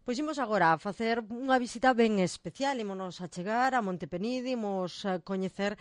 Pois imos agora a facer unha visita ben especial, ímonos a chegar a Monte Penide, imos a coñecer,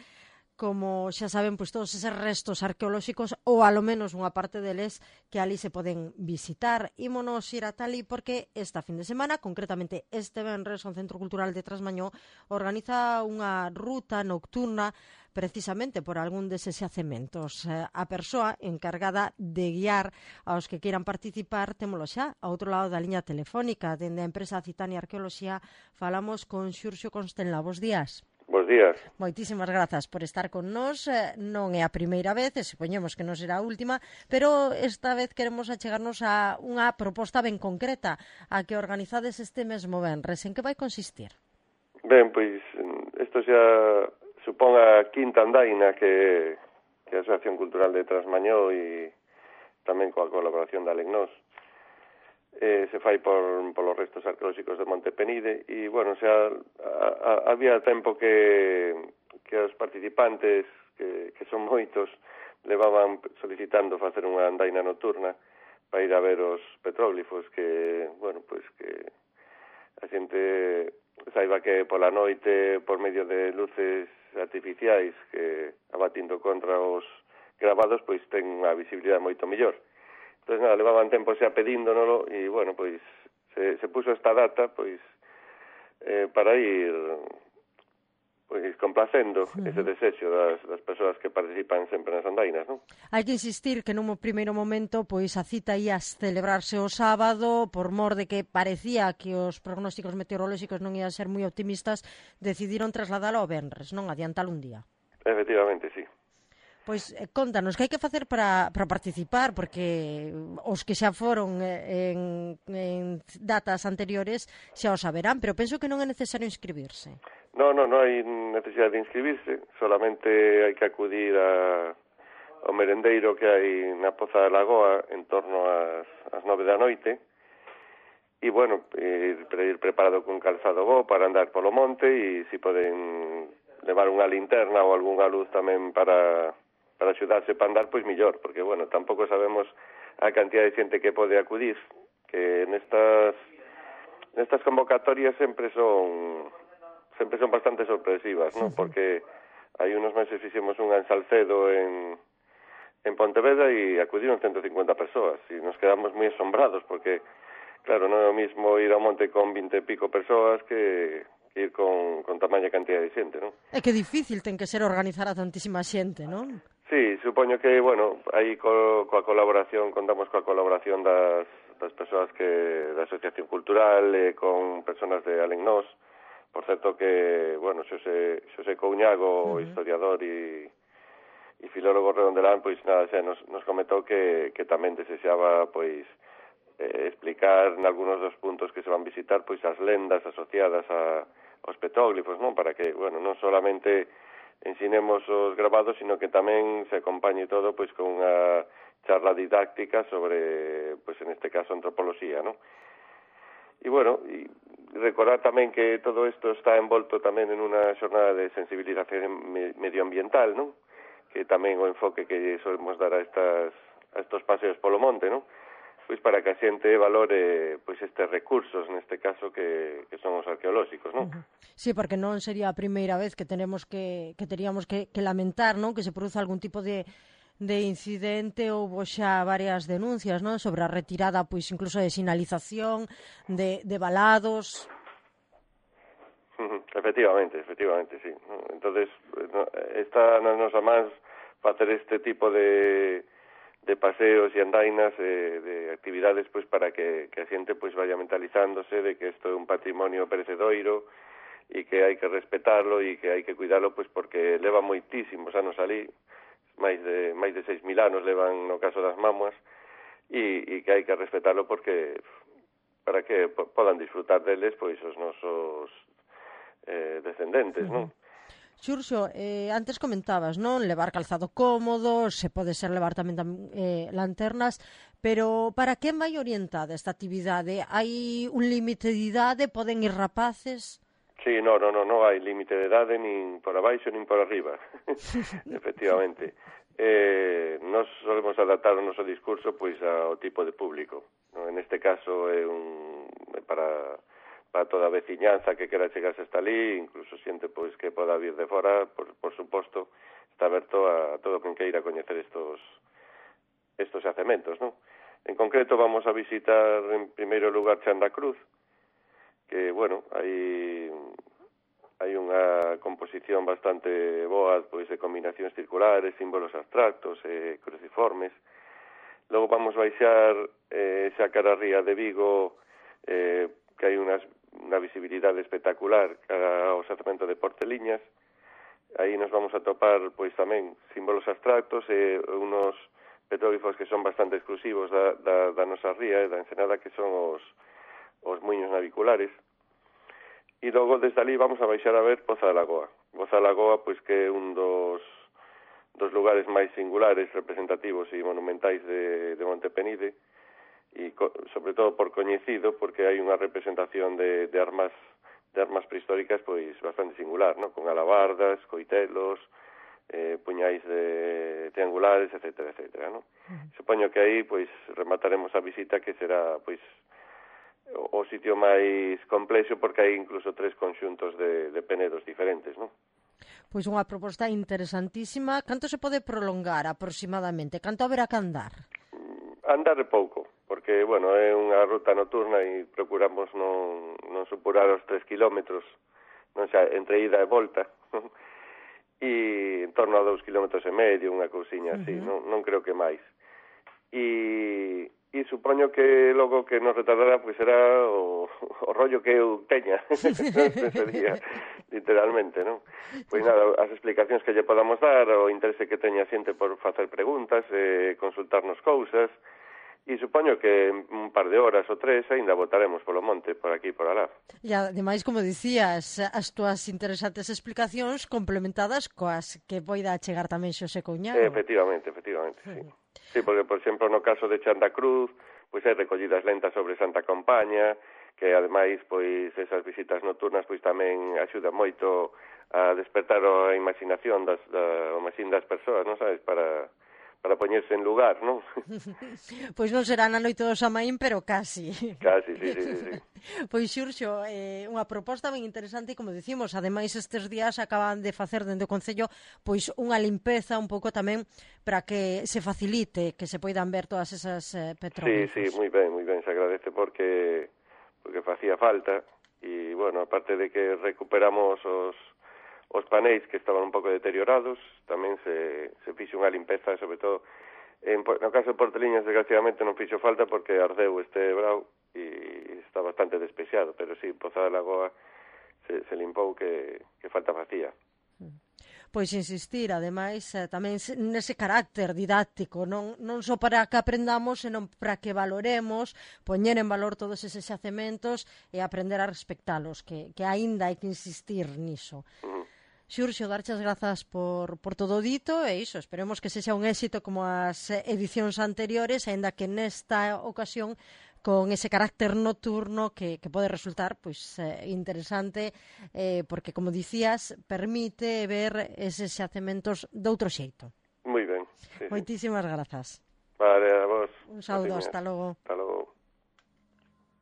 como xa saben, pois todos eses restos arqueolóxicos ou alo menos unha parte deles que ali se poden visitar. Ímonos ir a Tali porque esta fin de semana, concretamente este venres, o Centro Cultural de Trasmañó organiza unha ruta nocturna precisamente por algún deses xacementos. A persoa encargada de guiar aos que queiran participar témolo xa ao outro lado da liña telefónica. Dende a empresa Citania Arqueoloxía falamos con Xurxo Constenla. Bos días. Bos días. Moitísimas grazas por estar con nós. Non é a primeira vez, e supoñemos que non será a última, pero esta vez queremos achegarnos a unha proposta ben concreta, a que organizades este mesmo venres. En que vai consistir? Ben, pois, isto xa supón a quinta andaina que a Asociación Cultural de Trasmañó e tamén coa colaboración da Alecnós se fai polos restos arqueolóxicos de Monte Penide e, bueno, xa había tempo que os participantes, que son moitos, levaban solicitando facer unha andaina nocturna para ir a ver os petróglifos que, bueno, pois que a xente saiba que pola noite, por medio de luces artificiais que abatindo contra os gravados, pois ten unha visibilidade moito mellor. Entón, nada, levaban tempo xa pedíndonoslo e, bueno, pois se puso esta data, pois para ir pois complacendo ese desexo das persoas que participan sempre nas andainas, non? Hai que insistir que nun primeiro momento pois a cita ia celebrarse o sábado, por mor de que parecía que os prognósticos meteorolóxicos non ian ser moi optimistas, decidiron trasladalo ao venres, non adiantalo un día. Efectivamente, sí. Pois contanos, que hai que facer para participar, porque os que xa foron en datas anteriores xa o saberán, pero penso que non é necesario inscribirse. Non hai necesidade de inscribirse, solamente hai que acudir ao merendeiro que hai na Poza da Lagoa en torno ás 9 da noite e, bueno, ir preparado con calzado bo para andar polo monte e se poden levar unha linterna ou algunha luz tamén para axudarse para andar, pois millor, porque, bueno, tampouco sabemos a cantidad de xente que pode acudir, que nestas convocatorias sempre son bastante sorpresivas, ¿no? Porque hai unos meses fixemos unha en Salcedo en Pontevedra e acudiron 150 persoas e nos quedamos moi asombrados porque, claro, non é o mismo ir ao monte con 20 e pico persoas que ir con tamaña cantidad de xente, non? É que difícil ten que ser organizar a tantísima xente, non? Sí, supoño que, bueno, aí contamos coa colaboración das persoas da Asociación Cultural con persoas de Alecnós. Por certo que, bueno, Xosé Couñago, historiador e filólogo redondelán, pois nada, xa nos comentou que tamén desexaba, pois, explicar en algúns dos puntos que se van visitar, pois, as lendas asociadas aos petróglifos, non? Para que, bueno, non solamente ensinemos os grabados, sino que tamén se acompañe todo, pois, con unha charla didáctica sobre, pois, en este caso, antropoloxía, non? E, bueno, recordar tamén que todo isto está envolto tamén en unha xornada de sensibilización medioambiental, non? Que tamén o enfoque que solemos dar a estos paseos polo monte, non? Pois para que a xente valore pois estes recursos, neste caso que son os arqueolóxicos, non? Sí, porque non sería a primeira vez que teríamos que lamentar, non? Que se produza algún tipo de incidente. Houbo xa varias denuncias, non? Sobre a retirada, pois incluso de sinalización, de balados. Efectivamente, sí. Entonces, está nas nosas mans facer este tipo de paseos e andainas, de actividades, pois para que a xente pois vaya mentalizándose de que isto é un patrimonio perecedoiro e que hai que respetarlo e que hai que cuidarlo, pois porque leva moitísimos anos ali, máis de 6.000 anos levan no caso das mamuas, e que hai que respetarlo porque para que podan disfrutar deles pois os nosos descendentes, non? Xurxo, antes comentabas, non? Levar calzado cómodo, se pode ser levar tamén lanternas, pero para quen vai orientada esta actividade? Hai un límite de idade? Poden ir rapaces? Sí, non hai límite de idade nin por abaixo nin por arriba. Efectivamente. Nos solemos adaptar o noso discurso pois ao tipo de público. En este caso para toda a veciñanza que quera chegarse hasta ali, incluso xente pois que poda vir de fora, por suposto, está aberto a todo quen queira coñecer estos yacementos, non? En concreto vamos a visitar en primeiro lugar Chanda Cruz, que, bueno, hai unha composición bastante boa pois de combinacións circulares, símbolos abstractos, cruciformes. Logo vamos baixar xa cara a ría de Vigo, que hai unha visibilidade espectacular cara ao xacemento de Porteliñas. Aí nos vamos a topar pois tamén símbolos abstractos e unos petróglifos que son bastante exclusivos da nosa ría e da Ensenada, que son os muiños naviculares. E logo desde ali vamos a baixar a ver Poza da Lagoa. Poza da Lagoa, pois que é un dos lugares máis singulares, representativos e monumentais de Montepenide, e sobre todo por coñecido, porque hai unha representación de armas prehistóricas pois bastante singular, ¿no? Con alabardas, coitelos, puñais triangulares, etcétera, etcétera, ¿no? Supoño que aí pois remataremos a visita, que será pois o sitio máis complexo, porque hai incluso 3 conxuntos de penedos diferentes, ¿no? Pois unha proposta interesantísima. Canto se pode prolongar aproximadamente? Canto haberá que andar? Andar pouco, porque, bueno, é unha ruta nocturna e procuramos non superar os 3 kilómetros, non xa, entre ida e volta, e en torno a 2,5 kilómetros, unha cousiña así, non creo que máis. E supoño que logo que nos retardará pois será o rollo que eu teña ese día, literalmente, non? Pois nada, as explicacións que lle podamos dar, o interese que teña a xente por facer preguntas, consultarnos cousas, e supoño que en un par de horas ou 3 ainda botaremos polo monte, por aquí e por alá. E ademais, como dicías, as túas interesantes explicacións complementadas coas que poida chegar tamén Xosé Couñago. Efectivamente, sí. Sí, porque, por exemplo, no caso de Chanda Cruz, pois hai recollidas lentas sobre Santa Compaña, que ademais, pois, esas visitas nocturnas, pois tamén axudan moito a despertar a imaginación das persoas, non sabes, para poñerse en lugar, non? Pois non será na noite do Samaín, pero casi. Casi, sí. Pois, Xurxo, unha proposta ben interesante e, como dicimos, ademais estes días acaban de facer dende o Concello pois unha limpeza un pouco tamén para que se facilite, que se poidan ver todas esas petróglifos. Sí, moi ben, se agradece porque facía falta e, bueno, aparte de que recuperamos os paneis que estaban un pouco deteriorados, tamén se fixo unha limpeza, sobre todo no caso de Porteliñas, desgraciadamente non fixo falta porque ardeu este brau e está bastante despexado, pero sí, Poza da Lagoa se limpou, que falta facía. Pois insistir, ademais, tamén nese carácter didáctico, non só para que aprendamos, senón para que valoremos, poñer en valor todos eses xacementos e aprender a respectalos, que aínda hai que insistir niso. Xurxo, darche as grazas por todo dito, e iso, esperemos que sexa un éxito como as edicións anteriores, aínda que nesta ocasión con ese carácter nocturno que pode resultar pois interesante, porque, como dicías, permite ver eses xacementos de outro xeito. Moi ben. Sí. Moitísimas grazas. Vale, a vos. Un saúdo, hasta logo. Hasta logo.